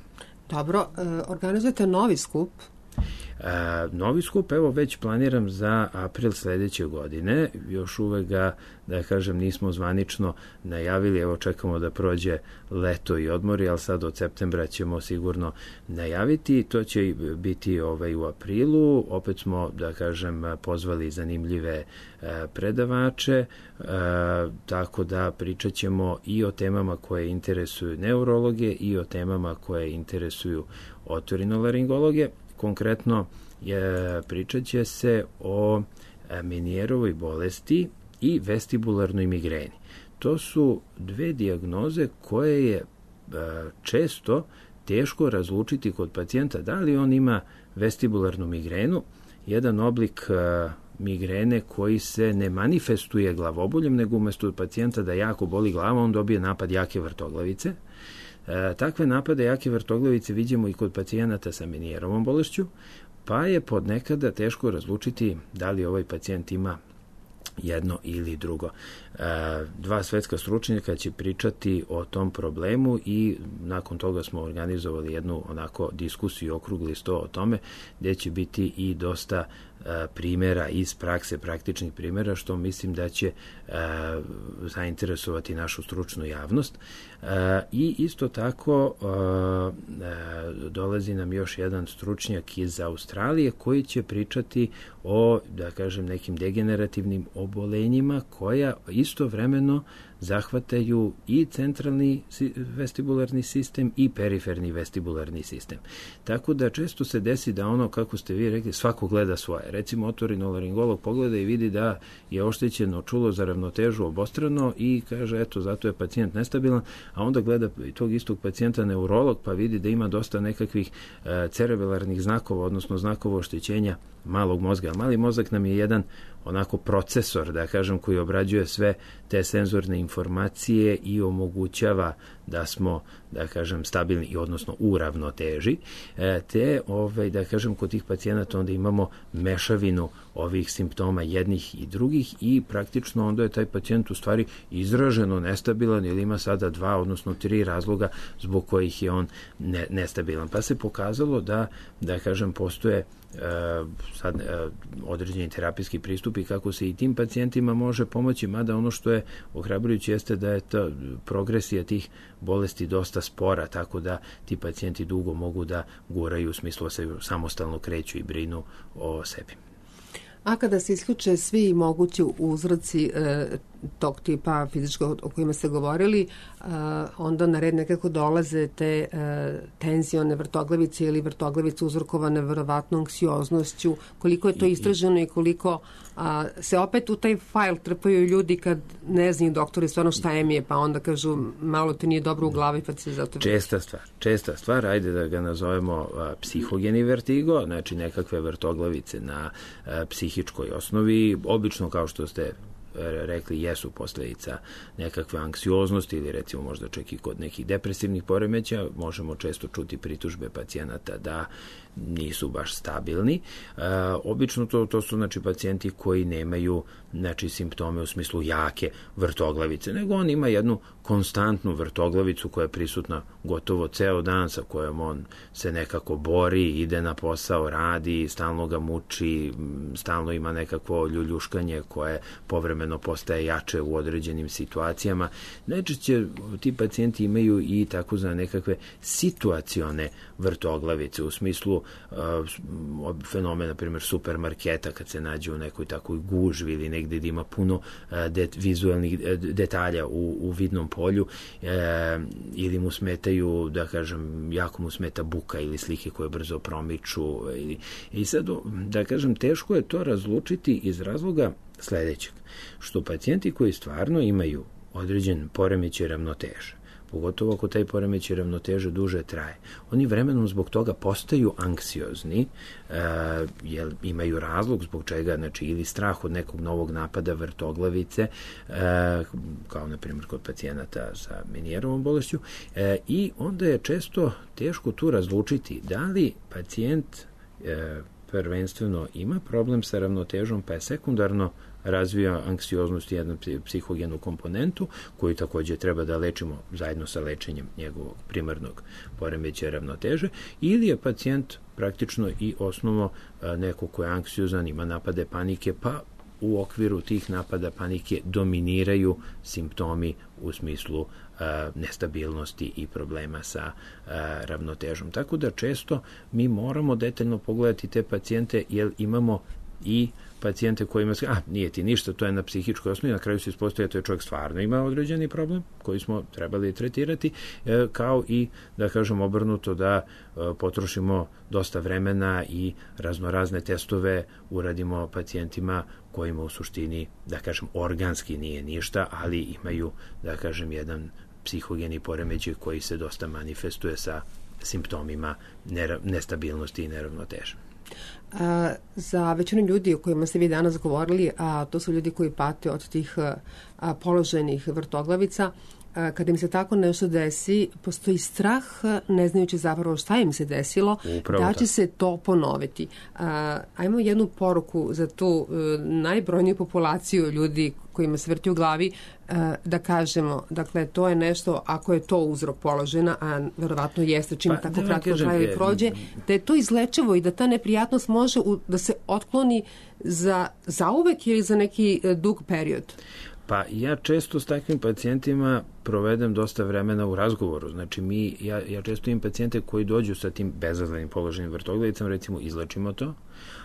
Dobro, e, organizujete novi skup. E, novi skup, evo već planiram za april sledeće godine, još uvek ga, da kažem, nismo zvanično najavili, evo čekamo da prođe leto i odmori, ali sad od septembra ćemo sigurno najaviti, to će biti ovaj, u aprilu, opet smo, da kažem, pozvali zanimljive e, predavače, e, tako da pričat ćemo i o temama koje interesuju neurologe i o temama koje interesuju otorinolaringologe. Konkretno je, pričat će se o Menijerovoj bolesti i vestibularnoj migreni. To su dve dijagnoze koje je često teško razlučiti kod pacijenta da li on ima vestibularnu migrenu, jedan oblik migrene koji se ne manifestuje glavoboljem, nego umesto pacijenta da jako boli glava, on dobije napad jake vrtoglavice. E, takve napade jake vrtoglavice vidimo i kod pacijenata sa Menijerovom bolešću, pa je podnekada teško razlučiti da li ovaj pacijent ima jedno ili drugo. E, dva svetska stručnjaka će pričati o tom problemu i nakon toga smo organizovali jednu onako diskusiju, okrugli sto o tome, gde će biti i dosta e, primjera iz prakse, praktičnih primjera, što mislim da će e, zainteresovati našu stručnu javnost. E, I isto tako e, e, dolazi nam još jedan stručnjak iz Australije koji će pričati o, da kažem, nekim degenerativnim obolenjima koja istovremeno zahvataju i centralni vestibularni sistem i periferni vestibularni sistem. Tako da često se desi da ono, kako ste vi rekli, svako gleda svoje. Recimo, otorinolaringolog pogleda i vidi da je oštećeno čulo za ravnotežu obostrano i kaže, eto, zato je pacijent nestabilan, a onda gleda tog istog pacijenta neurolog pa vidi da ima dosta nekakvih e, cerebelarnih znakova, odnosno znakova oštećenja malog mozga. Mali mozak nam je jedan onako procesor, da kažem, koji obrađuje sve te senzorne informacije i omogućava da smo, da kažem, stabilni i odnosno u ravnoteži, e, te, ovaj, da kažem, kod tih pacijenata onda imamo mešavinu ovih simptoma jednih i drugih i praktično onda je taj pacijent u stvari izraženo nestabilan ili ima sada dva, odnosno tri razloga zbog kojih je on ne, nestabilan. Pa se pokazalo da, da kažem, postoje E, sad e, određeni terapijski pristupi kako se i tim pacijentima može pomoći, mada ono što je ohrabrujuće jeste da je ta progresija tih bolesti dosta spora, tako da ti pacijenti dugo mogu da guraju, u smislu se samostalno kreću i brinu o sebi. A kada se isključe svi mogući uzroci e, tog tipa fizičkog o kojima ste govorili, e, onda na red nekako dolaze te e, tenzione vrtoglavice ili vrtoglavice uzrokovane verovatno anksioznošću, koliko je to istraženo i koliko a, se opet u taj fajl trpaju ljudi kad ne znaju doktori stvarno šta im je, pa onda kažu malo te nije dobro u glavi pa se zato... Česta stvar, česta stvar, ajde da ga nazovemo a, psihogeni vertigo, znači nekakve vrtoglavice na a, psihičkoj osnovi, obično kao što ste rekli jesu posljedica nekakve anksioznosti ili recimo možda čak i kod nekih depresivnih poremećaja, možemo često čuti pritužbe pacijenata da nisu baš stabilni. E, obično to, to su znači pacijenti koji nemaju znači simptome u smislu jake vrtoglavice, nego on ima jednu konstantnu vrtoglavicu koja je prisutna gotovo ceo dan, sa kojom on se nekako bori, ide na posao, radi, stalno ga muči, stalno ima nekakvo ljuljuškanje koje povremeno postaje jače u određenim situacijama. Najčešće ti pacijenti imaju i takozvane nekakve situacione vrtoglavice, u smislu uh, fenomena, na primjer, supermarketa, kad se nađe u nekoj takoj gužvi ili negde gde ima puno uh, det, vizualnih uh, detalja u, u vidnom polju, uh, ili mu smetaju, da kažem, jako mu smeta buka ili slike koje brzo promiču. I, i sad, da kažem, teško je to razlučiti iz razloga sledećeg, što pacijenti koji stvarno imaju određen poremećaj ravnoteže, pogotovo ako taj poremećaj ravnoteže duže traje, oni vremenom zbog toga postaju anksiozni, e, jer imaju razlog zbog čega, znači ili strah od nekog novog napada vrtoglavice, e, kao na primjer kod pacijenata sa Menijerovom bolešću, e, i onda je često teško tu razlučiti da li pacijent e, prvenstveno ima problem sa ravnotežom, pa je sekundarno razvija anksioznost i jednu psihogenu komponentu koju takođe treba da lečimo zajedno sa lečenjem njegovog primarnog poremećaja ravnoteže, ili je pacijent praktično i osnovno neko ko je anksiozan, ima napade panike, pa u okviru tih napada panike dominiraju simptomi u smislu a, nestabilnosti i problema sa a, ravnotežom. Tako da često mi moramo detaljno pogledati te pacijente, jer imamo i pacijente kojima se, a nije ti ništa, to je na psihičkoj osnovi, na kraju se ispostavlja da je čovjek stvarno ima određeni problem koji smo trebali tretirati, e, kao i, da kažem, obrnuto, da e, potrošimo dosta vremena i raznorazne testove uradimo pacijentima kojima u suštini, da kažem, organski nije ništa, ali imaju, da kažem, jedan psihogeni poremećaj koji se dosta manifestuje sa simptomima nestabilnosti i neravnoteže. A, za većinu ljudi o kojima ste vi danas govorili, a to su ljudi koji pate od tih a, položenih vrtoglavica, a, kada im se tako nešto desi, postoji strah, ne znajući zapravo šta im se desilo, upravo da će se to ponoviti. A, ajmo jednu poruku za tu a, najbrojniju populaciju ljudi kojima se vrti u glavi, da kažemo, dakle, to je nešto, ako je to uzrok položena, a verovatno jeste čim pa, tako da kratko traje i prođe, da je to izlečivo i da ta neprijatnost može u, da se otkloni za, za uvek ili za neki dug period. Pa ja često s takvim pacijentima provedem dosta vremena u razgovoru. Znači, mi, ja, ja često imam pacijente koji dođu sa tim bezazlenim položenim vrtoglavicama, recimo, izlečimo to,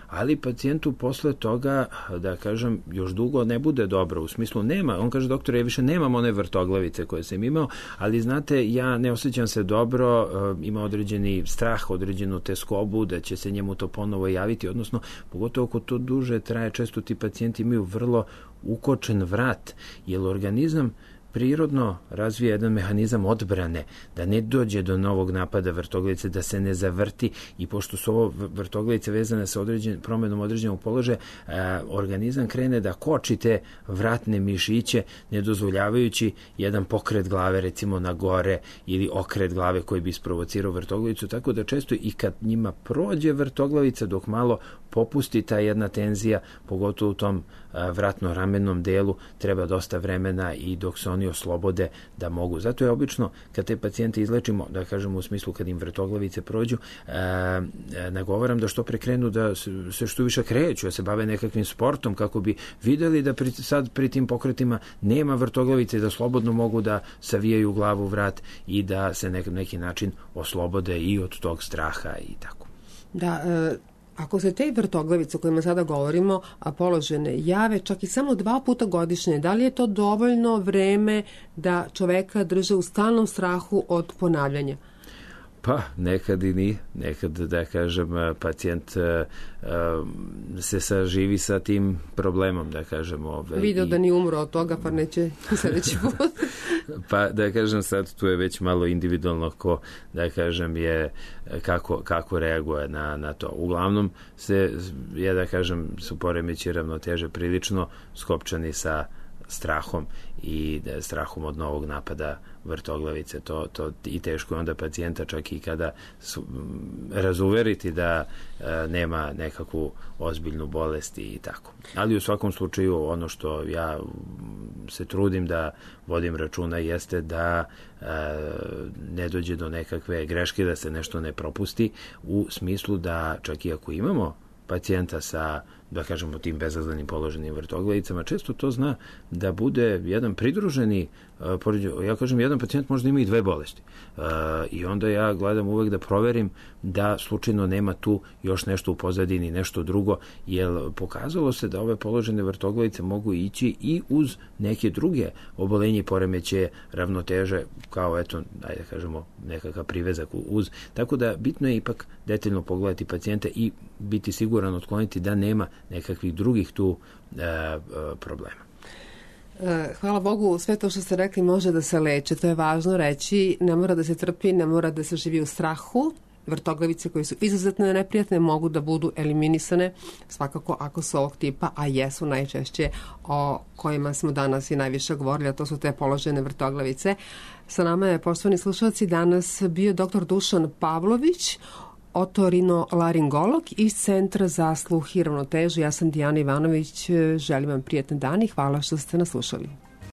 ali pacijentu posle toga, da kažem, još dugo ne bude dobro, u smislu nema, on kaže, doktor, ja više nemam one vrtoglavice koje sam imao, ali znate, ja ne osjećam se dobro, ima određeni strah, određenu teskobu, da će se njemu to ponovo javiti, odnosno, pogotovo ako to duže traje, često ti pacijenti imaju vrlo ukočen vrat, jer organizam prirodno razvija jedan mehanizam odbrane, da ne dođe do novog napada vrtoglavice, da se ne zavrti, i pošto su ovo vrtoglavice vezane sa određen, promenom određenog položaja, a, organizam krene da koči te vratne mišiće, ne dozvoljavajući jedan pokret glave, recimo na gore, ili okret glave koji bi isprovocirao vrtoglavicu, tako da često i kad njima prođe vrtoglavica, dok malo popusti ta jedna tenzija, pogotovo u tom vratno-ramennom delu, treba dosta vremena i dok se oni oslobode da mogu. Zato je obično, kad te pacijente izlečimo, da kažemo u smislu kad im vrtoglavice prođu, e, e, nagovaram da što prekrenu da se što više kreću, da se bave nekakvim sportom, kako bi videli da pri, sad pri tim pokretima nema vrtoglavice, da slobodno mogu da savijaju glavu, vrat i da se na neki način oslobode i od tog straha i tako. Da, e... Ako se te vrtoglavice o kojima sada govorimo, a položene, jave čak i samo dva puta godišnje, da li je to dovoljno vreme da čoveka drže u stalnom strahu od ponavljanja? Pa, nekad i ni. Nekad, da kažem, pacijent uh, se saživi sa tim problemom, da kažem. Ove, Video i... da ni umro od toga, pa neće sledeći put. Pa da kažem sad tu je već malo individualno ko da kažem je kako, kako reaguje na, na to. Uglavnom se, ja da kažem, su poremeći ravnoteže prilično skopčani sa strahom i da, strahom od novog napada vrtoglavice. To, to i teško je onda pacijenta čak i kada su, razuveriti da e, nema nekakvu ozbiljnu bolest i tako. Ali u svakom slučaju ono što ja se trudim da vodim računa jeste da e, ne dođe do nekakve greške, da se nešto ne propusti u smislu da čak i ako imamo pacijenta sa, da kažemo, tim bezazlenim položenim vrtoglavicama, često to zna da bude jedan pridruženi, uh, ja kažem, jedan pacijent možda ima i dve bolesti. Uh, I onda ja gledam uvek da proverim da slučajno nema tu još nešto u pozadini, nešto drugo, jer pokazalo se da ove položene vrtoglavice mogu ići i uz neke druge obolenje i poremeće ravnoteže, kao eto, ajde da kažemo, nekakav privezak uz. Tako da bitno je ipak detaljno pogledati pacijenta i biti siguran otkloniti da nema nekakvih drugih tu e, e, problema. Hvala Bogu, sve to što ste rekli može da se leče, to je važno reći, ne mora da se trpi, ne mora da se živi u strahu. Vrtoglavice koje su izuzetno neprijatne mogu da budu eliminisane svakako ako su ovog tipa, a jesu najčešće o kojima smo danas i najviše govorili, a to su te položene vrtoglavice. Sa nama je, poštovani slušalci, danas bio doktor Dušan Pavlović, otorinolaringolog iz Centra za sluh i ravnotežu. Ja sam Dijana Ivanović, želim vam prijetan dan i hvala što ste nas slušali.